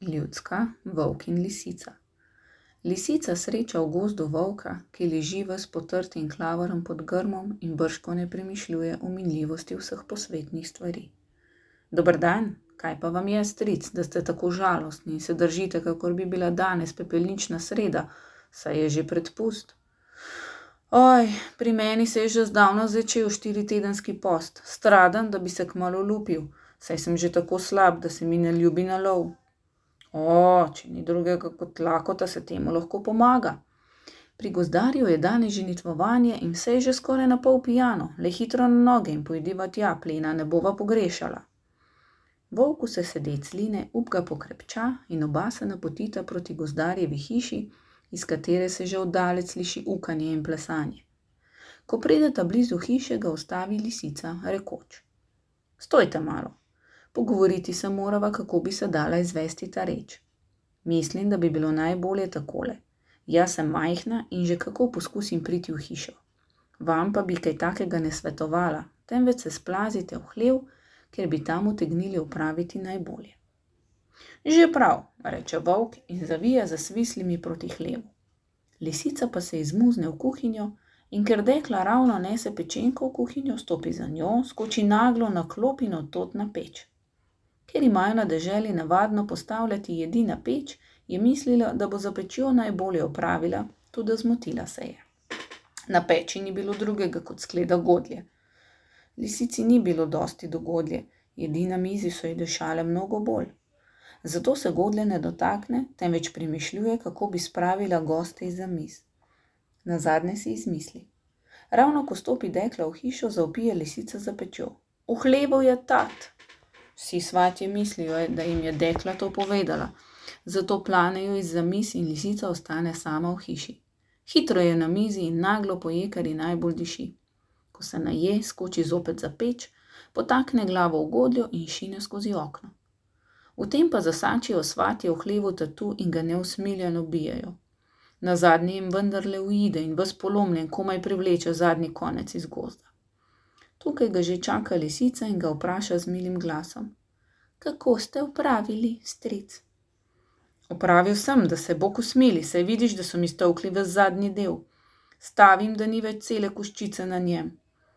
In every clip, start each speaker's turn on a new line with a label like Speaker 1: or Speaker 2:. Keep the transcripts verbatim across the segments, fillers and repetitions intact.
Speaker 1: Ljudska, volk in lisica. Lisica sreča v gozdu volka, ki leži ves potrt in klavrn pod grmom in bržkone premišljuje o minljivosti vseh posvetnih stvari. Dober dan, kaj pa vam je, stric, da ste tako žalostni in se držite, kakor bi bila danes pepelnična sreda, saj je že predpust. Oj, pri meni se je že zdavno začel štiritedenski post, stradan, da bi se kmalu lupil, saj sem že tako slab, da se mi ne ljubi na lov. O, če ni drugega kot lakota, se temu lahko pomaga. Pri gozdarju je danes ženitvovanje in vse je že skoraj na pol pijano, le hitro na noge in pojdiva tja, plena ne bova pogrešala. Volku se sedec line, up ga pokrepča in oba se napotita proti gozdarjevi hiši, iz katere se že oddalec sliši ukanje in plesanje. Ko prideta blizu hiše, ga ustavi lisica, rekoč: Stojte malo. Pogovoriti se morava, kako bi se dala izvesti ta reč. Mislim, da bi bilo najbolje takole. Jaz sem majhna in že kako poskusim priti v hišo. Vam pa bi kaj takega ne svetovala, temveč se splazite v hlev, ker bi tam utegnili opraviti najbolje. Že prav, reče volk in zavija za svislimi proti hlevu. Lisica pa se izmuzne v kuhinjo in ker dekla ravno nese pečenko v kuhinjo, stopi za njo, skoči naglo na klop in odtod na peč. Ker imajo na deželi navadno postavljati jedi na peč, je mislila, da bo za pečjo najbolje opravila, tudi zmotila se je. Na peči ni bilo drugega kot skleda godlje. Lisici ni bilo dosti do godlje, jedi na mizi so ji dišale mnogo bolj. Zato se godlje ne dotakne, temveč premišljuje, kako bi spravila goste izza miz. Nazadnje si izmisli. Ravno ko stopi dekla v hišo, zavpije lisica za pečjo. V hlevu je tat! Vsi svatje mislijo, da jim je dekla to povedala, zato planejo izza miz in lisica ostane sama v hiši. Hitro je na mizi in naglo poje, kar ji najbolj diši. Ko se naje, skoči zopet za peč, potakne glavo v godljo in šine skozi okno. V tem pa zasačijo svatje v hlevu tatu in ga neusmiljeno bijejo. Nazadnje jim vendarle uide in ves polomljen komaj privleče zadnji konec iz gozda. Tukaj ga že čaka lisica in ga vpraša z milim glasom. Kako ste opravili, stric? Opravil sem, da se Bog usmili, saj vidiš, da so mi stolkli ves zadnji del. Stavim, da ni več cele koščice na njem.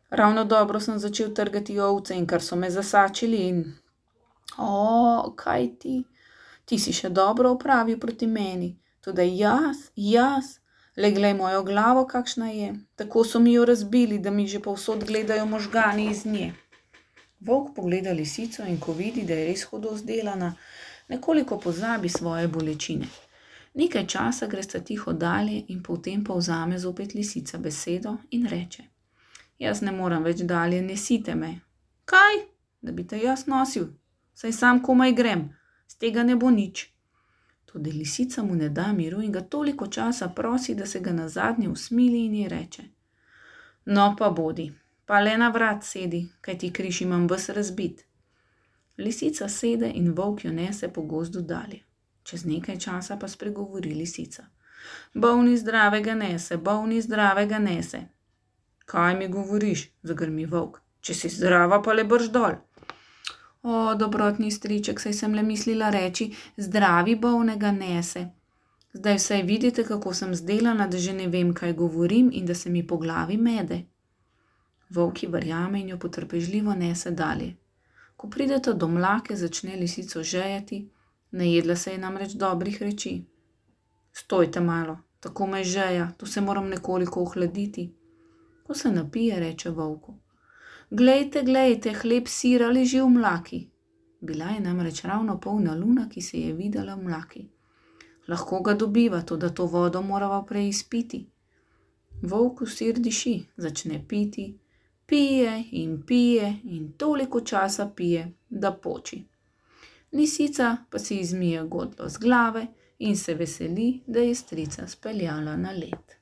Speaker 1: Ravno dobro sem začel trgati ovce in kar so me zasačili in... O, kaj ti? Ti si še dobro opravil proti meni. Tudi jaz, jaz, le glej mojo glavo, kakšna je. Tako so mi jo razbili, da mi že povsod gledajo možgani iz nje. Volk pogleda lisico in ko vidi, da je res hudo zdelana, nekoliko pozabi svoje bolečine. Nekaj časa gresta tiho dalje in potem pa vzame zopet lisica besedo in reče. Jaz ne moram več dalje, nesite me. Kaj? Da bi te jaz nosil? Saj sam komaj grem, z tega ne bo nič. Tudi lisica mu ne da miru in ga toliko časa prosi, da se ga nazadnje usmili in ji reče. No pa bodi, pa le na vrat sedi, kaj ti križ imam ves razbit. Lisica sede in volk jo nese po gozdu dalje. Čez nekaj časa pa spregovori lisica. Bolni zdravega nese, bolni zdravega nese. Kaj mi govoriš, zagrmi volk, če si zdrava pa le brž dol. O, dobrotni striček, saj sem le mislila reči, zdravi bolnega nese. Zdaj vsaj vidite, kako sem zdelana, da že ne vem, kaj govorim in da se mi po glavi mede. Volk ji verjame in jo potrpežljivo nese dalje. Ko prideta do mlake, začne lisico žejati, najedla se je namreč dobrih reči. Stojte malo, tako me žeja, tu se moram nekoliko ohladiti. Ko se napije, reče volku. Glejte, glejte, hleb sira leži v mlaki. Bila je namreč ravno polna luna, ki se je videla v mlaki. Lahko ga dobiva, toda to vodo morava prej izpiti. Volku sir diši, začne piti, pije in pije in toliko časa pije, da poči. Lisica pa si izmije godlo z glave in se veseli, da je strica speljala na led.